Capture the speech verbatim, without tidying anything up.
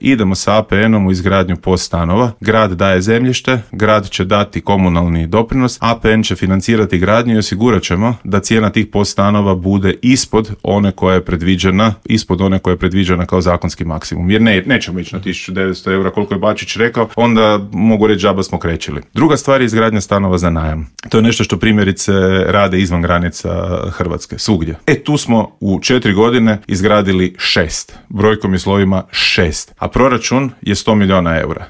idemo sa A P N-om u izgradnju POS stanova, grad daje zemljište, grad će dati komunalni doprinos, A P N će financirati gradnju i osigurat ćemo da cijena tih POS stanova bude ispod one koja je predviđena, ispod one koja je predviđena kao zakonski maksimum. Jer ne, nećemo ići na tisuću devetsto eura koliko je Bačić rekao, onda mogu reći džaba smo krećili. Druga stvar je izgradnja stanova za najam. To je nešto što primjerice rade izvan granica Hrvatske, svugdje. E tu smo u četiri godine izgradili šest. Brojkom i slovima šest. A proračun je sto milijuna eura.